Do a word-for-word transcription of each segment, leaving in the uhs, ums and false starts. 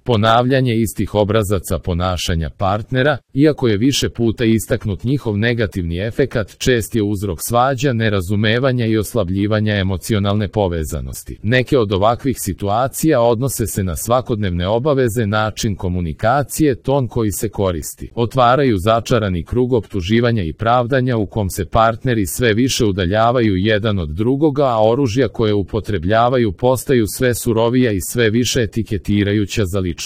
Ponavljanje istih obrazaca ponašanja partnera, iako je više puta istaknut njihov negativni efekat, čest je uzrok svađa, nerazumevanja i oslabljivanja emocionalne povezanosti. Neke od ovakvih situacija odnose se na svakodnevne obaveze, način komunikacije, ton koji se koristi. Otvaraju začarani krug optuživanja i pravdanja u kom se partneri sve više udaljavaju jedan od drugoga, a oružja koje upotrebljavaju postaju sve surovija i sve više etiketirajuća za ličnost.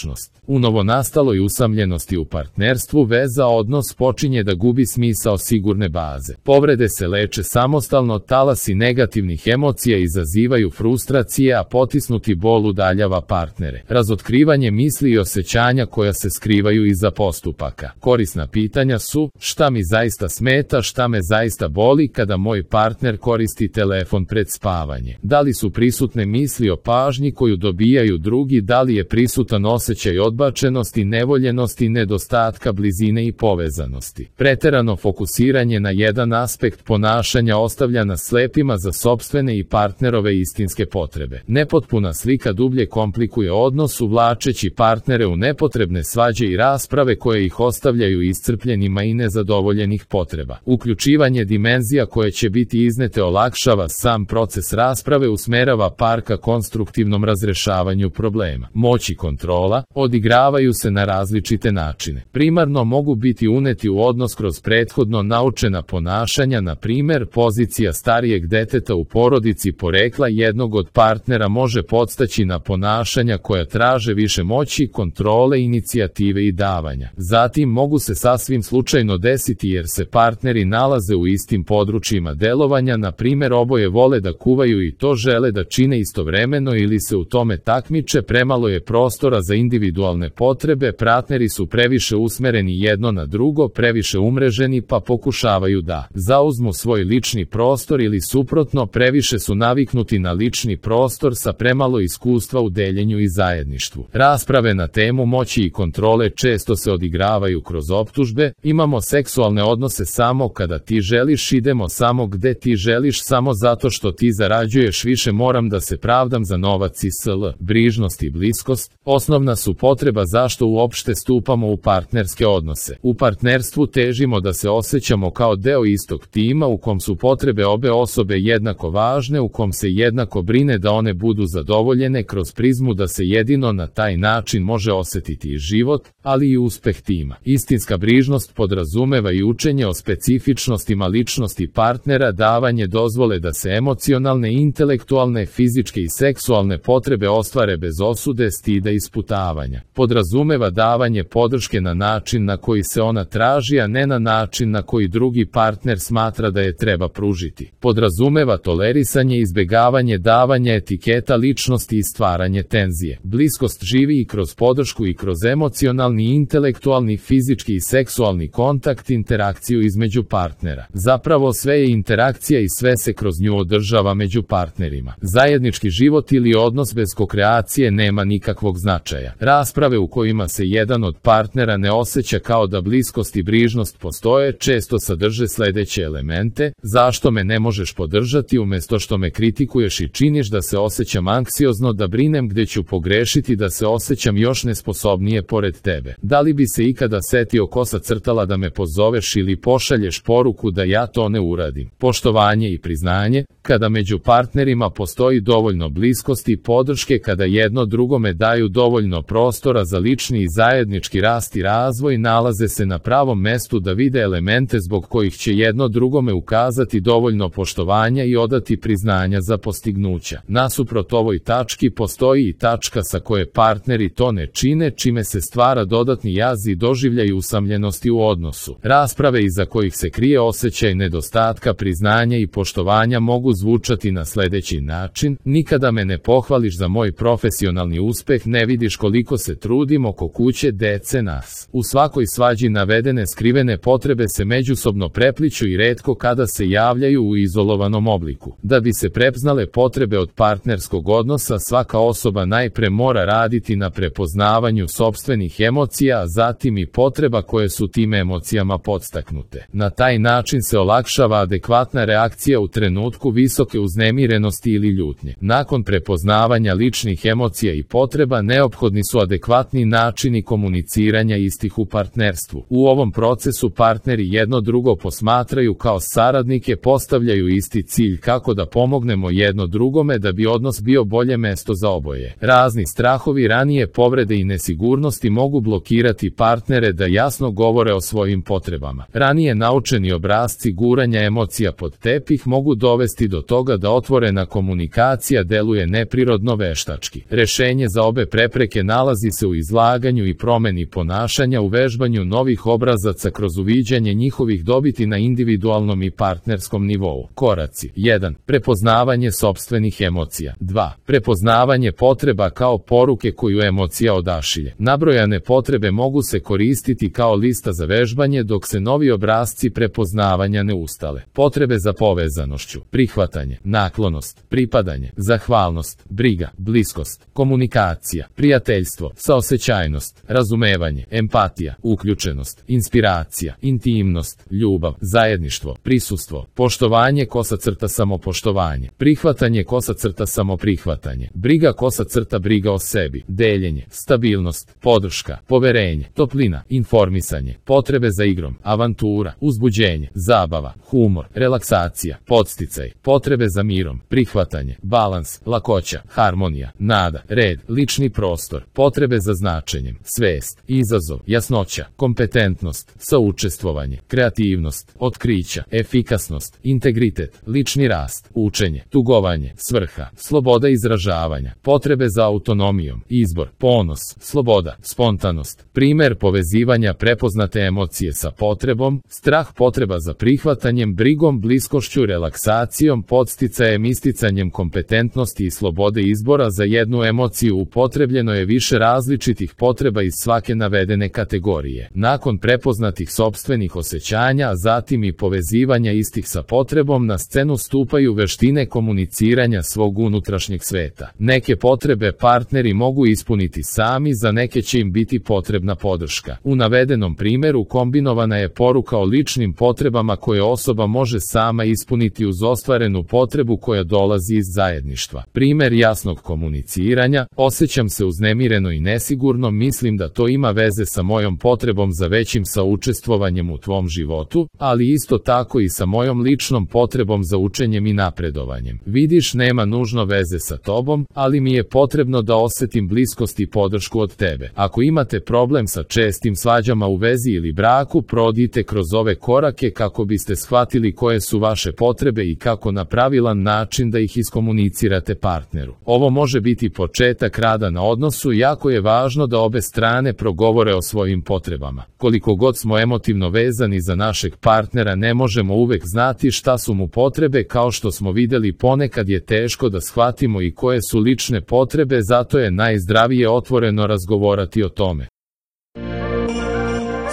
U novonastaloj usamljenosti u partnerstvu veza odnos počinje da gubi smisao sigurne baze. Povrede se leče samostalno, talasi negativnih emocija izazivaju frustracije, a potisnuti bol udaljava partnere. Razotkrivanje misli i osjećanja koja se skrivaju iza postupaka. Korisna pitanja su: šta mi zaista smeta, šta me zaista boli kada moj partner koristi telefon pred spavanje? Da li su prisutne misli o pažnji koju dobijaju drugi, da li je prisutan osjećaj odbačenosti, nevoljenosti, nedostatka blizine i povezanosti? Preterano fokusiranje na jedan aspekt ponašanja ostavlja nas slepima za sopstvene i partnerove istinske potrebe. Nepotpuna slika dublje komplikuje odnos, uvlačeći partnere u nepotrebne svađe i rasprave koje ih ostavljaju iscrpljenima i nezadovoljenih potreba. Uključivanje dimenzija koje će biti iznete olakšava sam proces rasprave, usmerava par ka konstruktivnom razrešavanju problema. Moć i kontrola odigravaju se na različite načine. Primarno mogu biti uneti u odnos kroz prethodno naučena ponašanja, na primjer pozicija starijeg deteta u porodici porekla jednog od partnera može podstaći na ponašanja koja traže više moći, kontrole, inicijative i davanja. Zatim mogu se sasvim slučajno desiti jer se partneri nalaze u istim područjima delovanja, na primjer oboje vole da kuvaju i to žele da čine istovremeno ili se u tome takmiče, premalo je prostora za individualne potrebe, partneri su previše usmereni jedno na drugo, previše umreženi pa pokušavaju da zauzmu svoj lični prostor ili suprotno, previše su naviknuti na lični prostor sa premalo iskustva u deljenju i zajedništvu. Rasprave na temu moći i kontrole često se odigravaju kroz optužbe: imamo seksualne odnose samo kada ti želiš, idemo samo gde ti želiš, samo zato što ti zarađuješ više, moram da se pravdam za novac i sl. Brižnost i bliskost osnovna su potreba zašto uopšte stupamo u partnerske odnose. U partnerstvu težimo da se osjećamo kao deo istog tima u kom su potrebe obe osobe jednako važne, u kom se jednako brine da one budu zadovoljene, kroz prizmu da se jedino na taj način može osjetiti i život, ali i uspeh tima. Istinska brižnost podrazumeva i učenje o specifičnostima ličnosti partnera, davanje dozvole da se emocionalne, intelektualne, fizičke i seksualne potrebe ostvare bez osude, stida i sputavanja. Podrazumeva davanje podrške na način na koji se ona traži, a ne na način na koji drugi partner smatra da je treba pružiti. Podrazumeva tolerisanje, izbegavanje davanja etiketa ličnosti i stvaranje tenzije. Bliskost živi i kroz podršku i kroz emocionalni, intelektualni, fizički i seksualni kontakt, interakciju između partnera. Zapravo sve je interakcija i sve se kroz nju održava među partnerima. Zajednički život ili odnos bez kokreacije nema nikakvog značaja. Rasprave u kojima se jedan od partnera ne osjeća kao da bliskost i brižnost postoje često sadrže sledeće elemente: zašto me ne možeš podržati, umjesto što me kritikuješ i činiš da se osjećam anksiozno, da brinem gde ću pogrešiti, da se osjećam još nesposobnije pored tebe. Da li bi se ikada setio kosa crtala da me pozoveš ili pošalješ poruku da ja to ne uradim? Poštovanje i priznanje, kada među partnerima postoji dovoljno bliskosti i podrške, kada jedno drugome daju dovoljno prostora za lični i zajednički rast i razvoj, nalaze se na pravom mestu da vide elemente zbog kojih će jedno drugome ukazati dovoljno poštovanja i odati priznanja za postignuća. Nasuprot ovoj tački postoji i tačka sa koje partneri to ne čine, čime se stvara dodatni jaz i doživljaj usamljenosti u odnosu. Rasprave iza kojih se krije osjećaj nedostatka priznanja i poštovanja mogu zvučati na sledeći način: nikada me ne pohvališ za moj profesionalni uspeh, ne vidiš koliko se trudim oko kuće, dece, nas. U svakoj svađi navedene skrivene potrebe se međusobno prepliću i retko kada se javljaju u izolovanom obliku. Da bi se prepoznale potrebe od partnerskog odnosa, svaka osoba najpre mora raditi na prepoznavanju sopstvenih emocija, a zatim i potreba koje su tim emocijama podstaknute. Na taj način se olakšava adekvatna reakcija u trenutku visoke uznemirenosti ili ljutnje. Nakon prepoznavanja ličnih emocija i potreba, neophodno neophodni su adekvatni načini komuniciranja istih u partnerstvu. U ovom procesu partneri jedno drugo posmatraju kao saradnike, postavljaju isti cilj kako da pomognemo jedno drugome da bi odnos bio bolje mesto za oboje. Razni strahovi, ranije povrede i nesigurnosti mogu blokirati partnere da jasno govore o svojim potrebama. Ranije naučeni obrasci guranja emocija pod tepih mogu dovesti do toga da otvorena komunikacija deluje neprirodno veštački. Rešenje za obe prepreke nalazi se u izlaganju i promeni ponašanja, u vežbanju novih obrazaca kroz uviđanje njihovih dobiti na individualnom i partnerskom nivou. Koraci: jedan. Prepoznavanje sopstvenih emocija. dva. Prepoznavanje potreba kao poruke koju emocija odašilje. Nabrojane potrebe mogu se koristiti kao lista za vežbanje dok se novi obrasci prepoznavanja ne ustale. Potrebe za povezanošću: prihvatanje, naklonost, pripadanje, zahvalnost, briga, bliskost, komunikacija, prijateljstvo, saosećajnost, razumevanje, empatija, uključenost, inspiracija, intimnost, ljubav, zajedništvo, prisustvo, poštovanje kosa crta samopoštovanje, prihvatanje kosa crta samoprihvatanje, briga kosa crta briga o sebi, deljenje, stabilnost, podrška, poverenje, toplina, informisanje, potrebe za igrom, avantura, uzbuđenje, zabava, humor, relaksacija, podsticaj, potrebe za mirom, prihvatanje, balans, lakoća, harmonija, nada, red, lični prostor, potrebe za značenjem, svest, izazov, jasnoća, kompetentnost, saučestvovanje, kreativnost, otkrića, efikasnost, integritet, lični rast, učenje, tugovanje, svrha, sloboda izražavanja, potrebe za autonomijom, izbor, ponos, sloboda, spontanost, primer povezivanja prepoznate emocije sa potrebom, strah, potreba za prihvatanjem, brigom, bliskošću, relaksacijom, podsticajem, isticanjem kompetentnosti i slobode izbora. Za jednu emociju upotrebljeno je više različitih potreba iz svake navedene kategorije. Nakon prepoznatih sopstvenih osjećanja, a zatim i povezivanja istih sa potrebom, na scenu stupaju veštine komuniciranja svog unutrašnjeg sveta. Neke potrebe partneri mogu ispuniti sami, za neke će im biti potrebna podrška. U navedenom primeru kombinovana je poruka o ličnim potrebama koje osoba može sama ispuniti uz ostvarenu potrebu koja dolazi iz zajedništva. Primer jasnog komuniciranja: osjećam se uznemireno i nesigurno, mislim da to ima veze sa mojom potrebom za većim saučestvovanjem u tvom životu, ali isto tako i sa mojom ličnom potrebom za učenjem i napredovanjem. Vidiš, nema nužno veze sa tobom, ali mi je potrebno da osetim bliskost i podršku od tebe. Ako imate problem sa čestim svađama u vezi ili braku, prodite kroz ove korake kako biste shvatili koje su vaše potrebe i kako na pravilan način da ih iskomunicirate partneru. Ovo može biti početak rada na odnosu. Jako je važno da obe strane progovore o svojim potrebama. Koliko god smo emotivno vezani za našeg partnera, ne možemo uvek znati šta su mu potrebe. Kao što smo videli, ponekad je teško da shvatimo i koje su lične potrebe, zato je najzdravije otvoreno razgovarati o tome.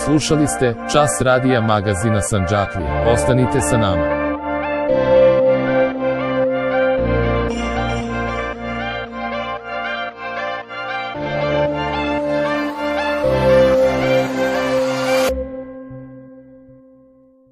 Slušali ste Čas radija magazina Sandžaklija. Ostanite sa nama.